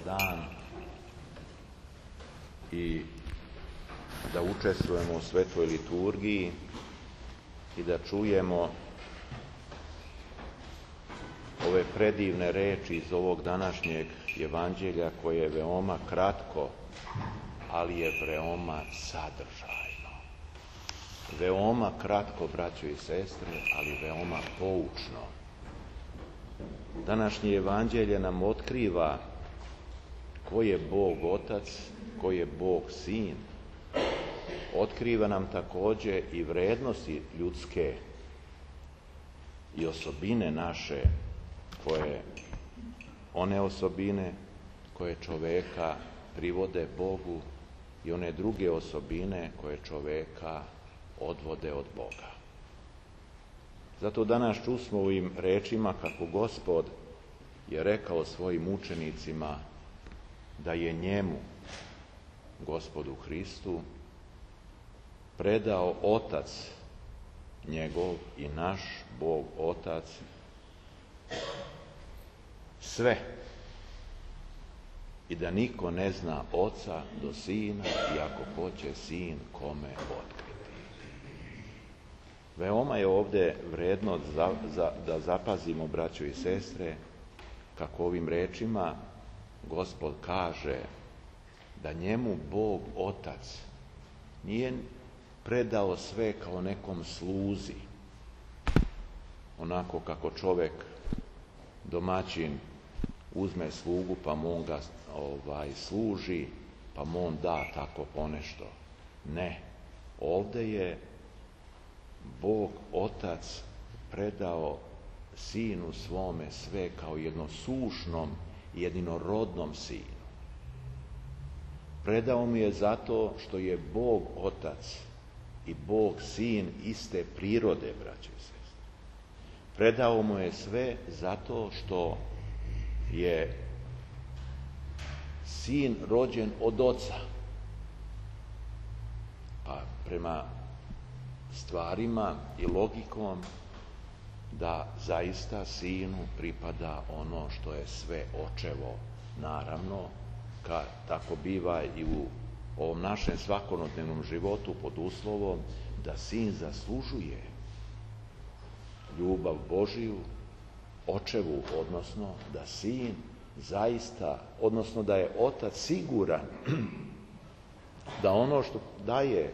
dan i da učestvujemo u svetoj liturgiji i da čujemo ove predivne reči iz ovog današnjeg evanđelja koje je veoma kratko, ali je veoma sadržajno. Veoma kratko, braćo i sestre, ali veoma poučno. Današnje evanđelje nam otkriva ko je Bog Otac, ko je Bog Sin. Otkriva nam također i vrednosti ljudske i osobine naše, one osobine koje čoveka privode Bogu i one druge osobine koje čoveka odvode od Boga. Zato danas čusmo ovim rečima kako Gospod je rekao svojim učenicima da je njemu, Gospodu Hristu, predao Otac njegov i naš Bog Otac sve i da niko ne zna Oca do Sina i ako hoće Sin kome otkriti. Veoma je ovdje vredno da zapazimo, braćo i sestre, kako ovim rečima Gospod kaže da njemu Bog Otac nije predao sve kao nekom sluzi, onako kako čovjek, domaćin, uzme slugu pa mu on ga služi, pa mu on da tako ponešto. Ne, ovdje je Bog Otac predao Sinu svome sve kao jednosušnom i jedinorodnom Sinu. Predao mu je zato što je Bog Otac i Bog Sin iste prirode, braće i sestre. Predao mu je sve zato što je Sin rođen od Oca. Pa prema stvarima i logikom da zaista Sinu pripada ono što je sve Očevo. Naravno, tako biva i u ovom našem svakodnevnom životu pod uslovom da Sin zaslužuje ljubav Božiju, Očevu, odnosno da Sin zaista, odnosno da je Otac siguran da ono što daje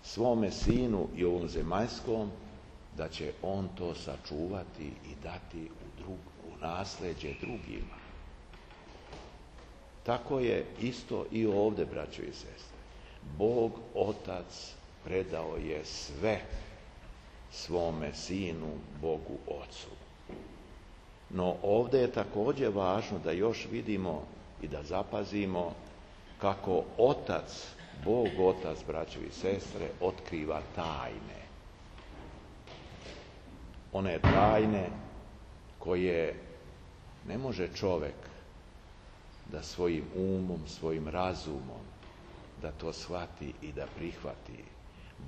svome Sinu i ovom zemaljskom, da će on to sačuvati i dati u nasljeđe drugima. Tako je isto i ovdje, braćo i sestre. Bog Otac predao je sve svome Sinu, Bogu Ocu. No ovdje je također važno da još vidimo i da zapazimo kako Otac, Bog Otac, braćo i sestre, otkriva tajne. One tajne koje ne može čovjek da svojim umom, svojim razumom, da to shvati i da prihvati.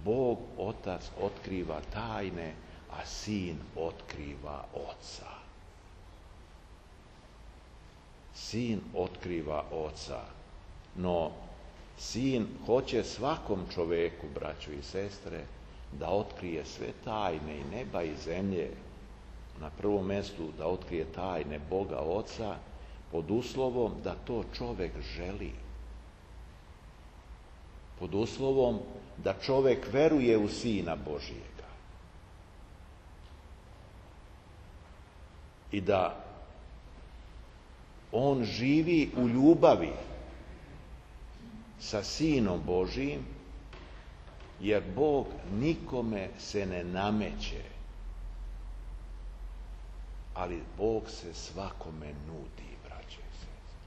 Bog Otac otkriva tajne, a Sin otkriva Oca. Sin otkriva Oca, no Sin hoće svakom čovjeku, braćo i sestre, da otkrije sve tajne i neba i zemlje. Na prvom mjestu da otkrije tajne Boga Oca, pod uslovom da to čovjek želi. Pod uslovom da čovjek veruje u Sina Božijega. I da on živi u ljubavi sa Sinom Božijim, jer Bog nikome se ne nameće, ali Bog se svakome nudi, braće i sestre.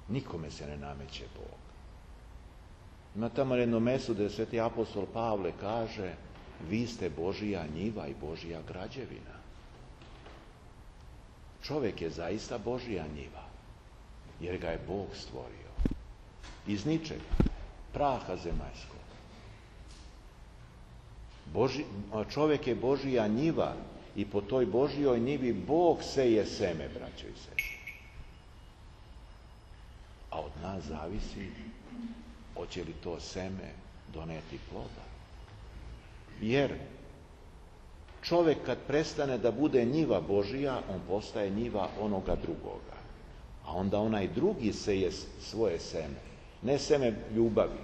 Nikome se ne nameće Bog. Ima tamo jedno mjesto gdje sveti apostol Pavle kaže: vi ste Božija njiva i Božija građevina. Čovjek je zaista Božija njiva, jer ga je Bog stvorio. Iz ničega, praha zemaljskog. Čovjek je Božija njiva i po toj Božijoj njivi Bog seje seme, braćo i sestre. A od nas zavisi hoće li to seme doneti ploda. Jer čovjek kad prestane da bude njiva Božija, on postaje njiva onoga drugoga. A onda onaj drugi seje svoje seme. Ne seme ljubavi,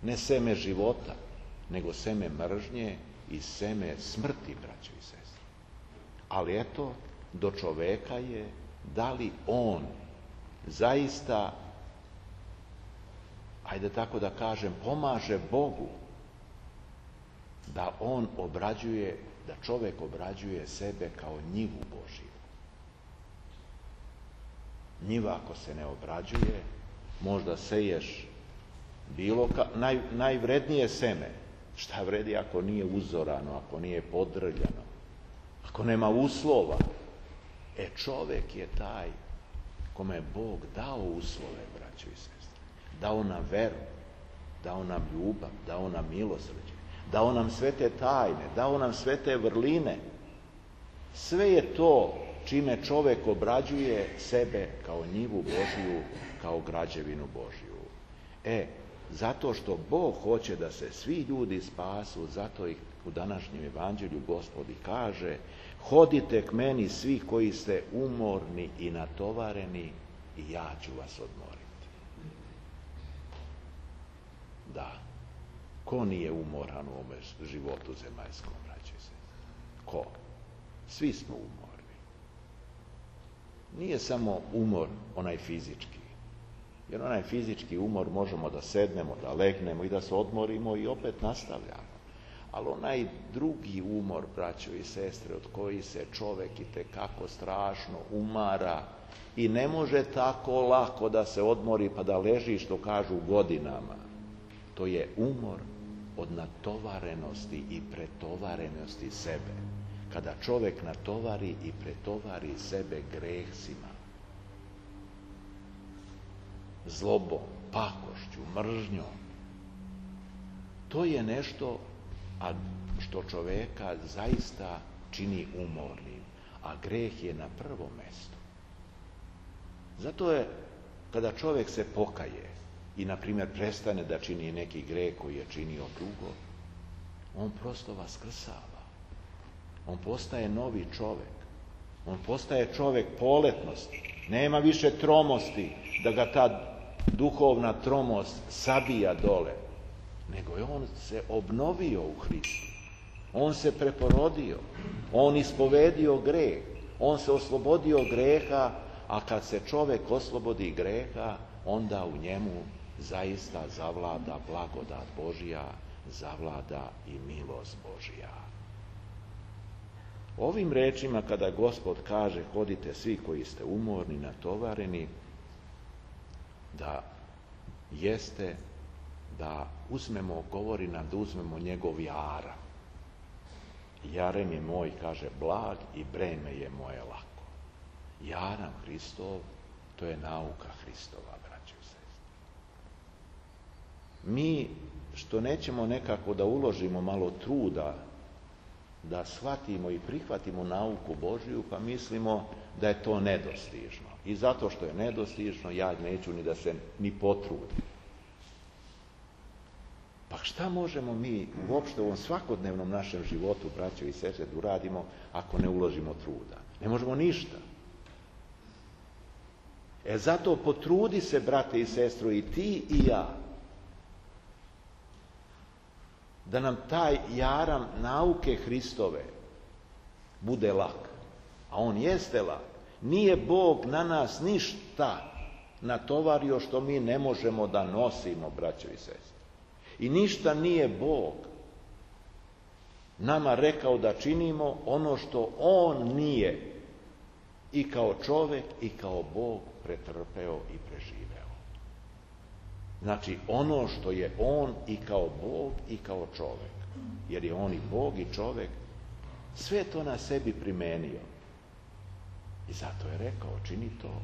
ne seme života, nego seme mržnje i seme smrti, braćo i sestre. Ali eto, do čoveka je da li on zaista, ajde tako da kažem, pomaže Bogu da on obrađuje, da čovjek obrađuje sebe kao njivu Božiju. Njiva ako se ne obrađuje, možda seješ najvrednije seme. Šta vredi ako nije uzorano, ako nije podrljano, ako nema uslova? Čovjek je taj kome je Bog dao uslove, braćo i sestre. Dao nam veru, dao nam ljubav, dao nam milosrđe, dao nam sve te tajne, dao nam sve te vrline. Sve je to čime čovjek obrađuje sebe kao njivu Božiju, kao građevinu Božiju. Zato što Bog hoće da se svi ljudi spasu, zato ih u današnjem evanđelju Gospod kaže: hodite k meni svi koji ste umorni i natovareni i ja ću vas odmoriti. Da, ko nije umoran u ovome životu zemaljskom, braćo i sestre? Ko? Svi smo umorni. Nije samo umor onaj fizički. Jer onaj fizički umor možemo da sednemo, da legnemo i da se odmorimo i opet nastavljamo. Ali onaj drugi umor, braćo i sestre, od koji se čovjek itekako strašno umara i ne može tako lako da se odmori pa da leži, što kažu, godinama. To je umor od natovarenosti i pretovarenosti sebe. Kada čovjek natovari i pretovari sebe grehsima, zlobom, pakošću, mržnjom, to je nešto što čovjeka zaista čini umornim, a greh je na prvom mjestu. Zato je, kada čovjek se pokaje i, na primjer, prestane da čini neki greh koji je činio dugo, on prosto vaskrsava. On postaje novi čovjek. On postaje čovjek poletnosti. Nema više tromosti, da ga ta duhovna tromost sabija dole, nego je on se obnovio u Hristu. On se preporodio, on ispovedio greh, on se oslobodio greha, a kad se čovjek oslobodi greha, onda u njemu zaista zavlada blagodat Božja, zavlada i milost Božja. Ovim rečima, kada Gospod kaže: hodite svi koji ste umorni, natovareni, da jeste da uzmemo, govori nam da uzmemo njegov jaram. Jarem je moj, kaže, blag i breme je moje lako. Jaram Hristov, to je nauka Hristova, braćo i sestre. Mi što nećemo nekako da uložimo malo truda da shvatimo i prihvatimo nauku Božju, pa mislimo da je to nedostižno. I zato što je nedostižno, ja neću ni da se ni potrudim. Pa šta možemo mi uopšte u ovom svakodnevnom našem životu, braćo i sestre, da uradimo ako ne uložimo truda? Ne možemo ništa. Zato potrudi se, brate i sestro, i ti i ja, da nam taj jaram nauke Hristove bude lak. A on jeste lak. Nije Bog na nas ništa natovario što mi ne možemo da nosimo, braćo i sestre. I ništa nije Bog nama rekao da činimo ono što on nije i kao čovjek i kao Bog pretrpeo i preživeo. Znači, ono što je on i kao Bog i kao čovjek, jer je on i Bog i čovjek, sve to na sebi primenio. I zato je rekao: čini to.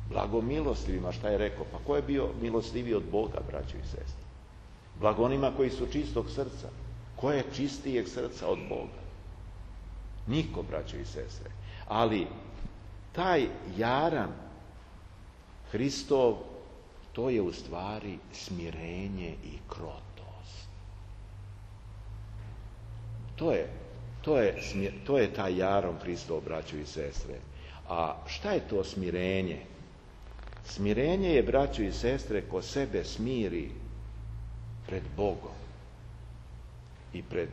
Blagomilostivima, šta je rekao? Pa ko je bio milostiviji od Boga, braćo i sestre? Blago onima koji su čistog srca. Ko je čistijeg srca od Boga? Niko, braćo i sestre. Ali taj jaram Hristov, to je u stvari smirenje i krotost. To je taj jarom Hristov, braćo i sestre. A šta je to smirenje? Smirenje je, braćo i sestre, ko sebe smiri pred Bogom i pred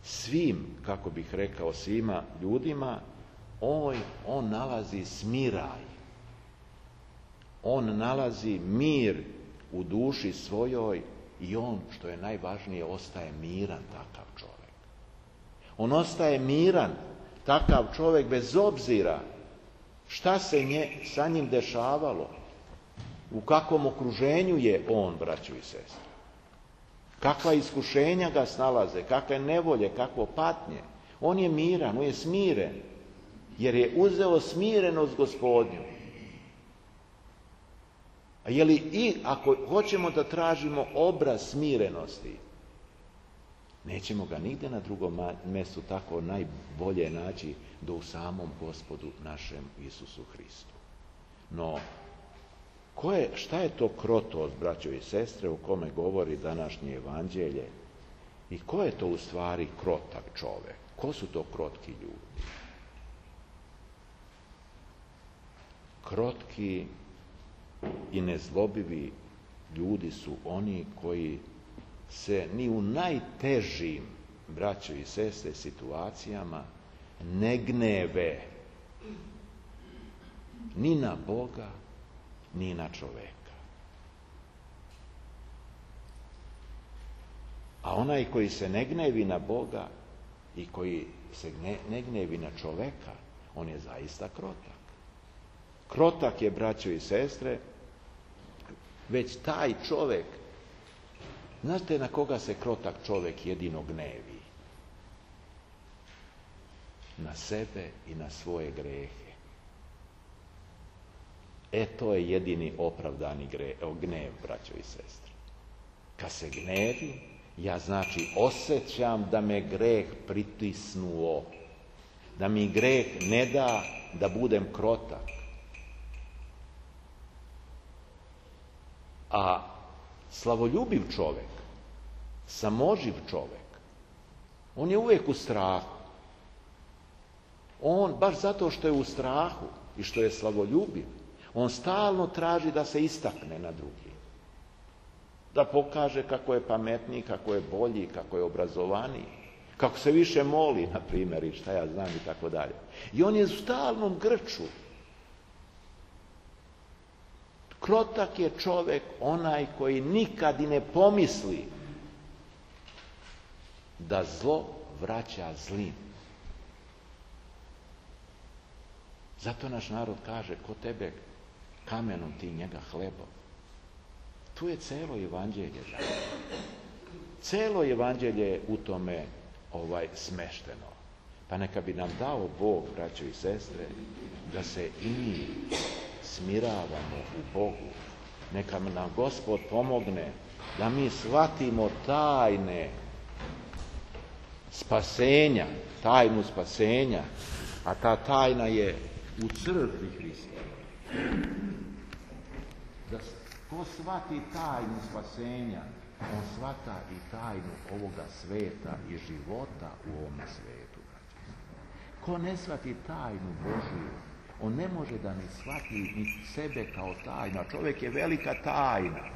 svim, kako bih rekao, svima ljudima, on nalazi smiraj. On nalazi mir u duši svojoj i on, što je najvažnije, ostaje miran takav čovjek. On ostaje miran takav čovjek bez obzira šta se sa njim dešavalo, u kakvom okruženju je on, braćo i sestre. Kakva iskušenja ga snalaze, kakve nevolje, kakvo patnje. On je miran, on je smiren, jer je uzeo smirenost Gospodnju. A je li i ako hoćemo da tražimo obraz smirenosti, nećemo ga nigde na drugom mjestu tako najbolje naći do u samom Gospodu našem Isusu Hristu. No, šta je to krotost, braćo i sestre, o kome govori današnje evanđelje? I ko je to u stvari krotak čovjek? Ko su to krotki ljudi? Krotki i nezlobivi ljudi su oni koji se ni u najtežim, braćo i sestre, situacijama ne gneve ni na Boga, ni na čoveka. A onaj koji se ne gnevi na Boga i koji se ne gnevi na čoveka, on je zaista krotak. Krotak je, braćo i sestre, već taj čovjek. Znate na koga se krotak čovjek jedino gnevi? Na sebe i na svoje grehe. To je jedini opravdani gnev, braćo i sestre. Kad se gnevi, ja znači osjećam da me greh pritisnuo, da mi greh ne da da budem krotak. A slavoljubiv čovjek, samoživ čovjek, on je uvijek u strahu. On, baš zato što je u strahu i što je slavoljubiv, on stalno traži da se istakne na drugi. Da pokaže kako je pametniji, kako je bolji, kako je obrazovaniji, kako se više moli, na primjer, i šta ja znam i tako dalje. I on je u stalnom grču. Krotak je čovjek onaj koji nikad i ne pomisli da zlo vraća zlim. Zato naš narod kaže, ko tebe kamenom, ti njega hlebom. Tu je celo evanđelje. Celo evanđelje je u tome smešteno. Pa neka bi nam dao Bog, braćo i sestre, da se i mi smiravamo u Bogu. Neka nam Gospod pomogne da mi shvatimo tajne spasenja, tajnu spasenja, a ta tajna je u crkvi Hrista. Da ko shvati tajnu spasenja, on shvata i tajnu ovoga sveta i života u ovome svetu. Ko ne shvati tajnu Božiju, on ne može da ni shvati ni sebe kao tajna. Čovjek je velika tajna.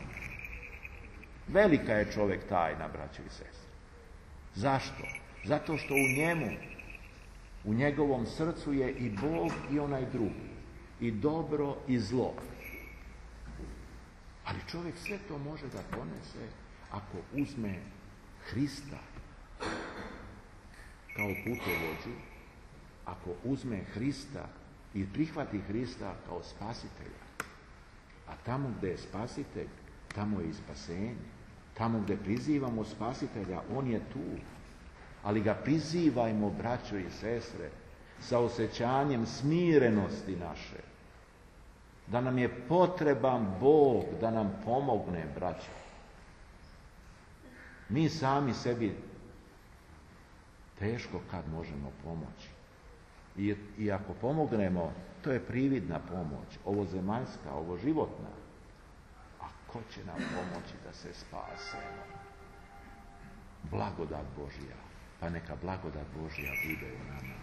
Velika je čovjek tajna, braćo i sestre. Zašto? Zato što u njemu, u njegovom srcu je i Bog i onaj drugi. I dobro i zlo. Ali čovjek sve to može da ponese ako uzme Hrista kao putovođu, ako uzme Hrista i prihvati Hrista kao spasitelja. A tamo gdje je spasitelj, tamo je i spasenje. Tamo gdje prizivamo spasitelja, on je tu. Ali ga prizivajmo, braćo i sestre, sa osjećanjem smirenosti naše. Da nam je potreban Bog da nam pomogne, braćo. Mi sami sebi teško kad možemo pomoći. I ako pomognemo, to je prividna pomoć, ovo zemaljska, ovo životna. A ko će nam pomoći da se spasemo? Blagodat Božja. Pa neka blagodat Božja bude u nama.